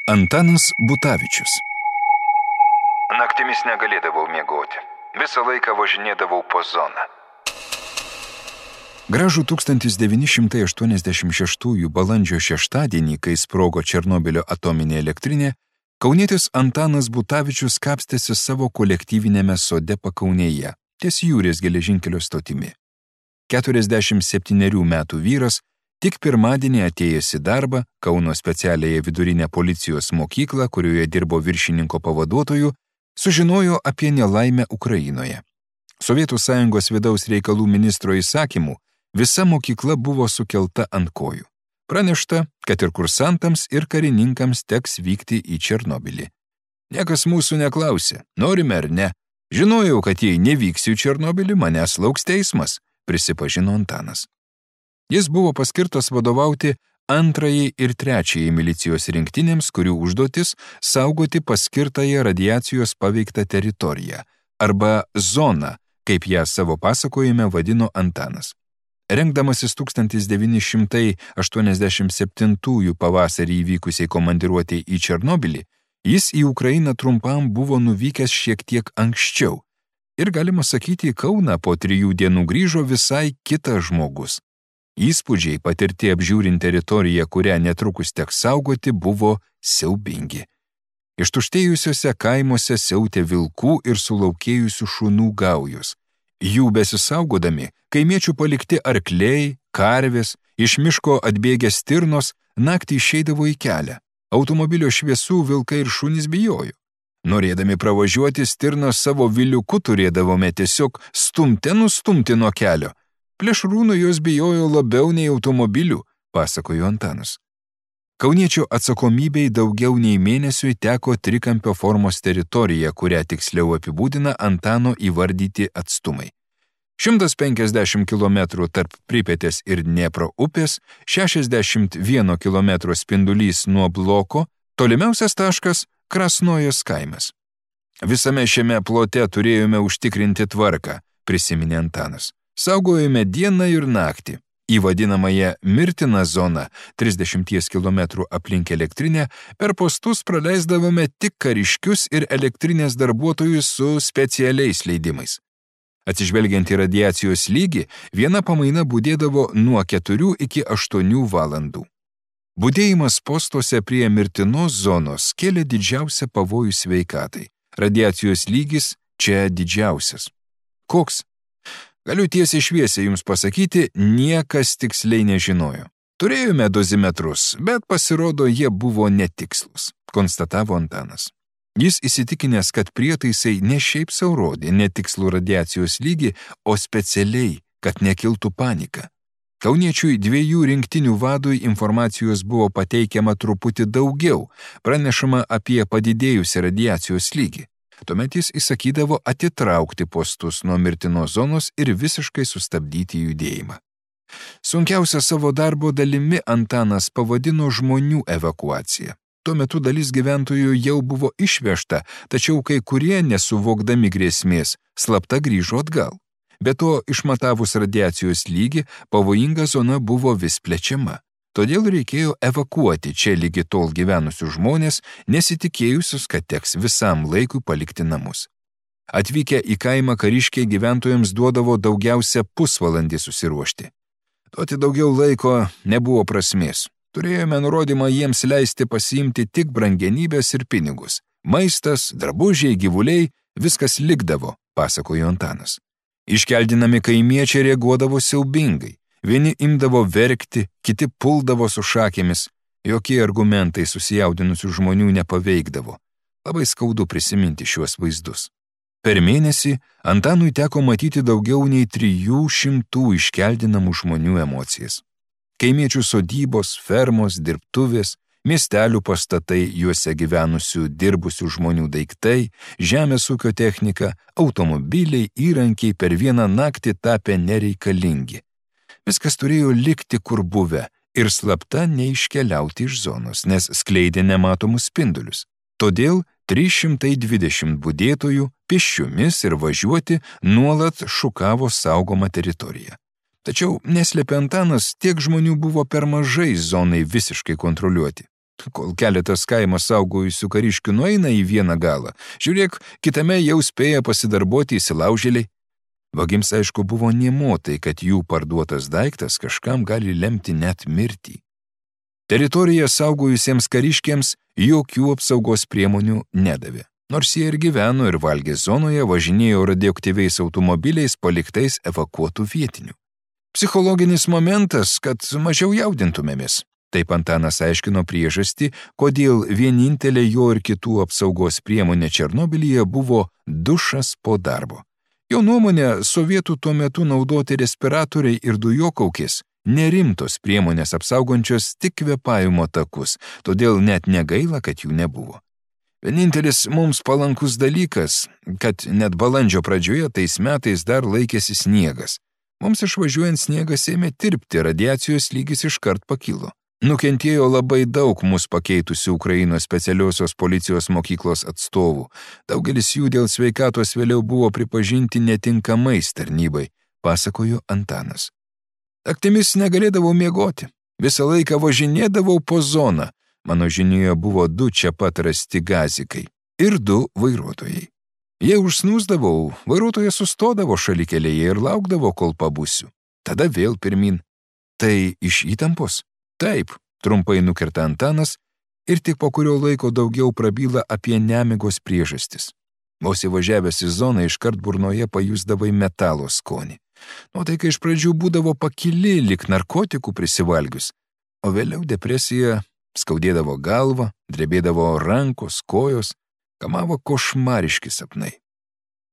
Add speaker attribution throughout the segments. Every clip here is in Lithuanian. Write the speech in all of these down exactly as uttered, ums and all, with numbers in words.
Speaker 1: Antanas Butavičius.
Speaker 2: Naktimis negalėdavau miegoti. Visą laiką važinėdavau po zoną.
Speaker 1: Gražų tūkstantis devyni šimtai aštuoniasdešimt šeštųjų balandžio šeštadienį, kai sprogo Černobylio atominė elektrinė, kaunietis Antanas Butavičius kapstėsi savo kolektyvinėme sode Pakaunėje, ties Jūrės geležinkelio stotimi. keturiasdešimt septynerių metų vyras tik pirmadienį atėjęs į darbą Kauno specialiąją vidurinę policijos mokyklą, kurioje dirbo viršininko pavaduotoju, sužinojo apie nelaimę Ukrainoje. Sovietų sąjungos vidaus reikalų ministro įsakymu visa mokykla buvo sukelta ant kojų. Pranešta, kad ir kursantams, ir karininkams teks vykti į Černobylį. Niekas mūsų neklausė, norime ar ne. Žinojau, kad jei nevyksiu į Černobylį, manęs lauks teismas, prisipažino Antanas. Jis buvo paskirtas vadovauti antrajai ir trečiajai milicijos rinktinėms, kurių užduotis saugoti paskirtąją radiacijos paveiktą teritoriją, arba zoną, kaip ją savo pasakojime vadino Antanas. Rengdamasis tūkstantis devyni šimtai aštuoniasdešimt septintųjų pavasarį įvykusiai komandiruotei į Černobylį, jis į Ukrainą trumpam buvo nuvykęs šiek tiek anksčiau. Ir galima sakyti, į Kauną po trijų dienų grįžo visai kitas žmogus. Įspūdžiai patirti apžiūrint teritoriją, kurią netrukus teks saugoti, buvo siaubingi. Ištuštėjusiuose kaimuose siautė vilkų ir sulaukėjusių šunų gaujos. Jų besisaugodami, kaimiečių palikti arkliai, karvės, iš miško atbėgę stirnos, naktį išeidavo į kelią. Automobilio šviesų vilkai ir šunys bijojo. Norėdami pravažiuoti stirną savo viliuku turėdavome tiesiog stumte nustumti nuo kelio. Plėšrūnų jos bijojo labiau nei automobilių, pasakojo Antanas. Kauniečio atsakomybei daugiau nei mėnesiui teko trikampio formos teritorija, kurią tiksliau apibūdina Antano įvardyti atstumai. šimtas penkiasdešimt kilometrų tarp Pripetės ir Dniepro upės, šešiasdešimt vieno kilometro spindulys nuo bloko, tolimiausias taškas – Krasnojos kaimas. Visame šiame plote turėjome užtikrinti tvarką, prisiminė Antanas. Saugojome dieną ir naktį. Į vadinamąją mirtiną zoną, trisdešimties kilometrų aplink elektrinę, per postus praleisdavome tik kariškius ir elektrinės darbuotojus su specialiais leidimais. Atsižvelgiant į radiacijos lygį, viena pamaina budėdavo nuo keturių iki aštuonių valandų. Budėjimas postuose prie mirtinos zonos kėlė didžiausią pavojų sveikatai. Radiacijos lygis čia didžiausias. Koks? Galiu tiesiai šviesiai jums pasakyti, niekas tiksliai nežinojo. Turėjome dozimetrus, bet pasirodo jie buvo netikslus, konstatavo Antanas. Jis įsitikinęs, kad prietaisai ne šiaip sau rodė netikslų radiacijos lygį, o specialiai, kad nekiltų panika. Kauniečiui dviejų rinktinių vadui informacijos buvo pateikiama truputį daugiau, pranešama apie padidėjusią radiacijos lygį. Tuomet jis įsakydavo atitraukti postus nuo mirtinos zonos ir visiškai sustabdyti judėjimą. Sunkiausia savo darbo dalimi Antanas pavadino žmonių evakuaciją. Tuo metu dalis gyventojų jau buvo išvežta, tačiau kai kurie, nesuvokdami grėsmės, slapta grįžo atgal. Be to, išmatavus radiacijos lygį, pavojinga zona buvo vis plečiama. Todėl reikėjo evakuoti čia lygi tol gyvenusius žmonės, nesitikėjusius, kad teks visam laikui palikti namus. Atvykę į kaimą kariškiai gyventojams duodavo daugiausia pusvalandį susiruošti. Duoti daugiau laiko nebuvo prasmės. Turėjome nurodymą jiems leisti pasiimti tik brangenybės ir pinigus. Maistas, drabužiai, gyvuliai, viskas likdavo, pasakojo Antanas. Iškeldinami kaimiečiai reaguodavo siaubingai. Vieni imdavo verkti, kiti puldavo su šakėmis. Jokie argumentai susijaudinusių žmonių nepaveikdavo. Labai skaudu prisiminti šiuos vaizdus. Per mėnesį Antanui teko matyti daugiau nei trijų šimtų iškeldinamų žmonių emocijas. Kaimiečių sodybos, fermos, dirbtuvės, miestelių pastatai, juose gyvenusių dirbusių žmonių daiktai, žemės ūkio technika, automobiliai, įrankiai per vieną naktį tapę nereikalingi. Viskas turėjo likti kur buvę ir slapta neiškeliauti iš zonos, nes skleidė nematomus spindulius. Todėl trys šimtai dvidešimt budėtojų pėsčiomis ir važiuoti nuolat šukavo saugomą teritoriją. Tačiau, neslėpė Antanas, tiek žmonių buvo per mažai zonai visiškai kontroliuoti. Kol keletas kaimo saugojusių kariškių nueina į vieną galą, žiūrėk, kitame jau spėja pasidarboti įsilaužėliai. Vagims aišku buvo nėmotai, kad jų parduotas daiktas kažkam gali lemti net mirtį. Teritoriją saugojusiems kariškiams jokių apsaugos priemonių nedavė. Nors jie ir gyveno ir valgė zonoje, važinėjo radioaktyviais automobiliais paliktais evakuotų vietinių. Psichologinis momentas, kad mažiau jaudintumėmės. Taip Antanas aiškino priežastį, kodėl vienintelė jo ir kitų apsaugos priemonė Černobylyje buvo dušas po darbo. Jo nuomonė, sovietų tuo metu naudoti respiratoriai ir dujokaukės nerimtos priemonės apsaugančios tik kvėpavimo takus, todėl net negaila, kad jų nebuvo. Vienintelis mums palankus dalykas, kad net balandžio pradžioje tais metais dar laikėsi sniegas. Mums išvažiuojant sniegas ėmė tirpti, radiacijos lygis iškart pakilo. Nukentėjo labai daug mus pakeitusių Ukrainos specialiosios policijos mokyklos atstovų. Daugelis jų dėl sveikatos vėliau buvo pripažinti netinkamais tarnybai, pasakojo Antanas. Naktimis negalėdavau miegoti. Visą laiką važinėdavau po zoną. Mano žinioje buvo du čia pat rasti gazikai ir du vairuotojai. Jei užsnūsdavau, vairuotojas sustodavo šalikelėje ir laukdavo, kol pabusiu. Tada vėl pirmin. Tai iš įtampos? Taip, trumpai nukirta Antanas ir tik po kurio laiko daugiau prabyla apie nemigos priežastis. Vos įvažiavęs į zoną iškart burnoje pajusdavai metalo skonį. Nuotaika iš pradžių būdavo pakili, lyg narkotikų prisivalgius, o vėliau depresija, skaudėdavo galvą, drebėdavo rankos, kojos, kamavo košmariški sapnai.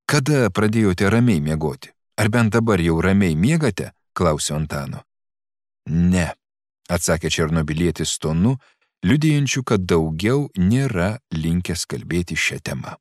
Speaker 1: Kada pradėjote ramiai miegoti? Ar bent dabar jau ramiai miegate? Klausiu Antano. Ne, atsakė černobilietis tonu, liudijančiu, kad daugiau nėra linkęs kalbėti šią temą.